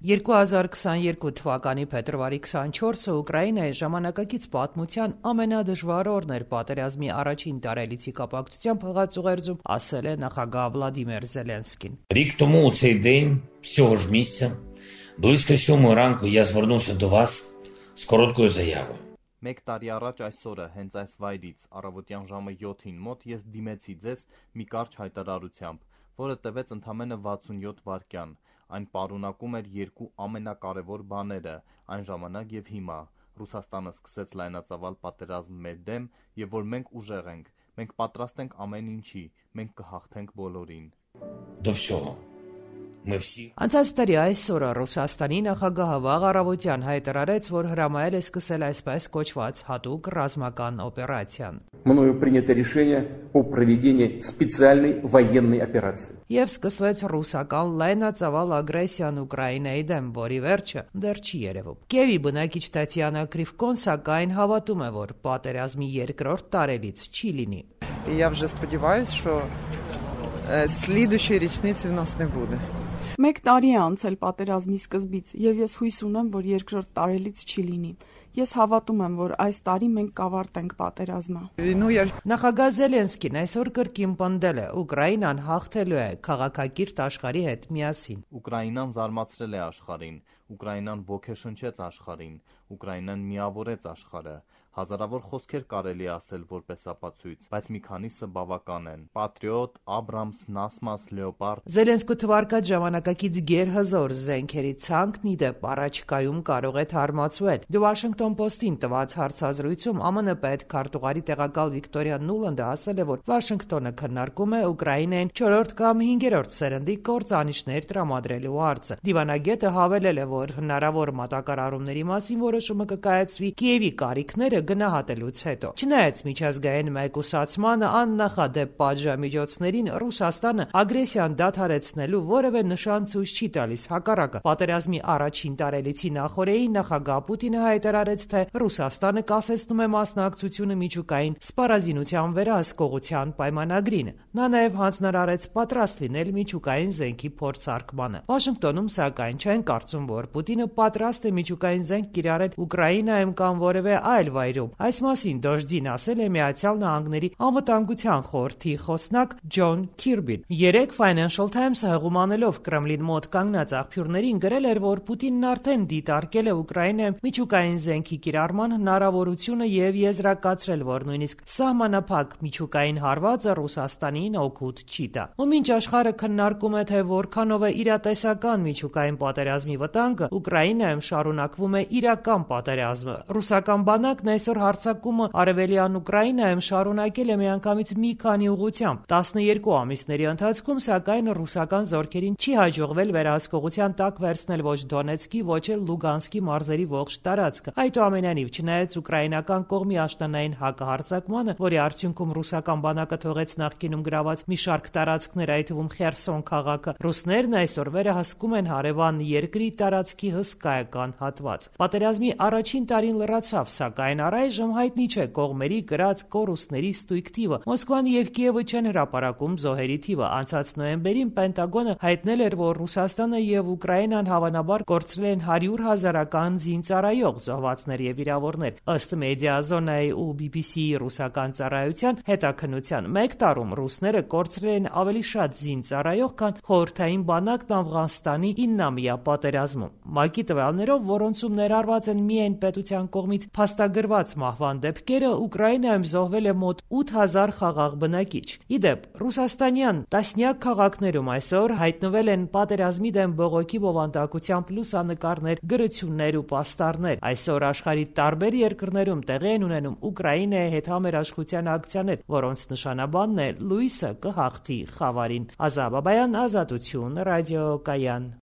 2022 թվականի փետրվարի 24-ը Ուկրաինայի ժամանակակից պատմության ամենադժվար օրն էր պատերազմի առաջին տարելիցի կապակցությամբ հղած ուղերձում ասել է նախագահ Վլադիմիր Զելենսկին. Рік тому у цей день, цього ж місця, близько 7 ранку я звернувся до вас з короткою заявою. Մեկ տարի առաջ այսօրը հենց այս վայրից առավոտյան ժամը 7-ին մոտ ես դիմեցի ձեզ մի կարճ հայտարարությամբ, որը տևեց ընդամենը 67 վայրկյան։ Այն պարունակում էր երկու ամենակարևոր բաները այն ժամանակ եւ հիմա. Ռուսաստանը սկսեց լայնածավալ պատերազմ մեր դեմ եւ որ մենք ուժեղ ենք, մենք պատրաստ ենք ամեն ինչի, մենք կհաղթենք բոլորին։ До всього. Ми всі. Անցած տարի այսօրը Ռուսաստանի նախագահը վաղ առավոտյան հայտարարեց, որ հրամայել է սկսել այսպես կոչված հատուկ ռազմական օպերացիան. Мною принято решение о проведении специальной военной операции. Եվ սկսվեց ռուսական լայնածավալ ագրեսիան Ուկրաինայի դեմ, որի վերջը դեռ չի երևում։ Կիևի բնակիչ Տատյանա Կրիվկոն սակայն հավատում է, որ պատերազմի երկրորդ տարելից չի լինի. Я вже сподіваюсь, що слідуючої річниці в нас не буде. Մեկ տարի է անցել պատերազմի սկզբից, եւ ես հույս ունեմ, որ երկրորդ տարելից չի լինի։ Ես հավատում եմ, որ այս տարի մենք կավարտենք պատերազմը։ Նախագահ Զելենսկին այսօր կրկին պնդել է, Ուկրաինան հաղթելու է քաղաքակիրթ աշխարհի հետ միասին։ Ուկրաինան զարմացրել է աշխարհին, Ուկրաինան ոգեշնչեց աշխարհին, Ուկրաինան միավորեց աշխարհը։ Հազարավոր խոսքեր կարելի ասել որպես ապացույց, բայց մի քանիսը բավական են։ Պատրիոտ, Աբրամս, Նասմաս, Լեոպարդ։ Զելենսկու թվարկած ժամանակակից գերհզոր զենքերի ցանկն ի դեպ առաջիկայում կարող է թարմացվել։ The Washington Post-ին տված հարցազրույցում ԱՄՆ պետքարտուղարի տեղակալ Վիկտորիա Նուլանդը ասել է, որ Վաշինգտոնը քննարկում է Ուկրաինային 4-րդ կամ 5-րդ սերնդի կործանիչներ տրամադրելու հարցը։ Դիվանագետը հավելել է, որ հնարավոր մատակարարումների մասին որոշումը կկայացվի Կիևի կարիքները գնահատելուց հետո։ Չնայած միջազգային մեկուսացմանը աննախադեպ պատժամիջոցներին Ռուսաստանը ագրեսիան դադարեցնելու որևէ նշան ցույց չի տալիս, հակառակը պատերազմի առաջին տարելիցի նախօրեին նախագահ Պուտինը հայտարարեց, թե Ռուսաստանը կասեցնում է մասնակցությունը միջուկային սպառազինության վերահսկողության պայմանագրին։ Նա նաև հանձնարարեց պատրաստ լինել միջուկային զենքի փորձարկմանը։ Վաշինգտոնում սակայն չեն կարծում, որ Պուտինը պատրաստ է միջուկային զենք կիրառել Ուկրաինայում կամ որևէ այլ վայրում։ Այս մասին Դոժդին ասել է Միացյալ Նահանգների անվտանգության խորհրդի խոսնակ Ջոն Քիրբին։ Երեկ Financial Times-ը հղումանելով Կրեմլին մոտ կանգնած աղբյուրներին գրել էր, որ Պուտինն արդեն դիտարկել է Ուկրաինայում միջուկային զենքի կիրառման հնարավորությունը եւ եզրակացրել, որ նույնիսկ սահմանափակ միջուկային հարվածը Ռուսաստանին օգուտ չի տա։ Ու մինչ աշխարհը քննարկում է, թե որքանով է իրատեսական միջուկային պատերազմի վտանգը, Ուկրաինայում շարունակվում է իրական պատերազմը։ Ռուսական բանակն այսօր հարձակումը արևելյան Ուկրաինայում շարունակել է միանգամից մի քանի ուղղությամբ։ 12 ամիսների ընթացքում սակայն ռուսական զորքերին չի հաջողվել վերահսկողության տակ վերցնել ոչ Դոնեցկի, ոչ էլ Լուգանսկի մարզերի ողջ տարածքը։ Այդուամենայնիվ, չնայած ուկրաինական կողմի աշտանային հակահարձակմանը, որի արդյունքում ռուսական բանակը թողեց նախկինում գրաված մի շարք տարածքներ, այդ թվում Խերսոն քաղաքը, ռուսներն այսօր վերահսկում են հարևան երկրի տարածքի հսկայական հատված։ Պատերազմի առաջին տարին լրացավ, սակայն առայժմ հայտնի չէ կողմերի կրած կորուստների ստույգ թիվը։ Մոսկվան եւ Կիևը չեն հրապարակում զոհերի թիվը։ Անցած նոյեմբերին Պենտագոնը հայտնել էր, որ Ռուսաստանը եւ Ուկրաինան հավանաբար կորցրել են 100,000-ական զինծառայող, զոհվածներ եւ վիրավորներ։ Ըստ Մեդիազոնայի ու BBC-ի ռուսական ծառայության հետաքննության, մեկ տարում ռուսները կորցրել են ավելի շատ զինծառայող, քան խորհրդային բանակն Աֆղանստանի 9-ամյա պատերազմում։ ՄԱԿ-ի տվյալներով, որոնցում ներառված են միայն պետության կողմից փաստագրված մահվան դեպքերը, Ուկրաինայում զոհվել է մոտ 8000 խաղաղ բնակիչ։ Ի դեպ, ռուսաստանյան տասնյակ քաղաքներում այսօր հայտնվել են պատերազմի դեմ բողոքի բովանդակությամբ լուսանկարներ, գրություններ ու պաստառներ։ Այսօր աշխարհի տարբեր երկրներում տեղի են ունենում Ուկրաինայի հետ համերաշխության ակցիաներ, որոնց նշանաբանն է Լուիսը կհաղթի խավարին։ Ազատ Բաբայան, Ազատություն, ռադիոկայան։